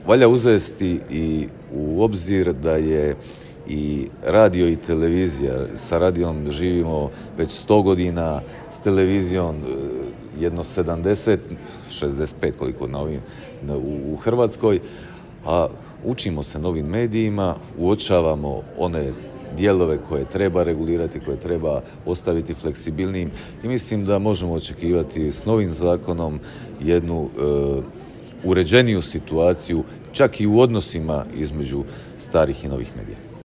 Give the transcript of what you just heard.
valja uzeti i u obzir da je i radio i televizija, sa radijom živimo već 100 godina, s televizijom jedno 70, 65 koliko u Hrvatskoj, a učimo se novim medijima, uočavamo one dijelove koje treba regulirati, koje treba ostaviti fleksibilnijim i mislim da možemo očekivati s novim zakonom jednu uređeniju situaciju, čak i u odnosima između starih i novih medija.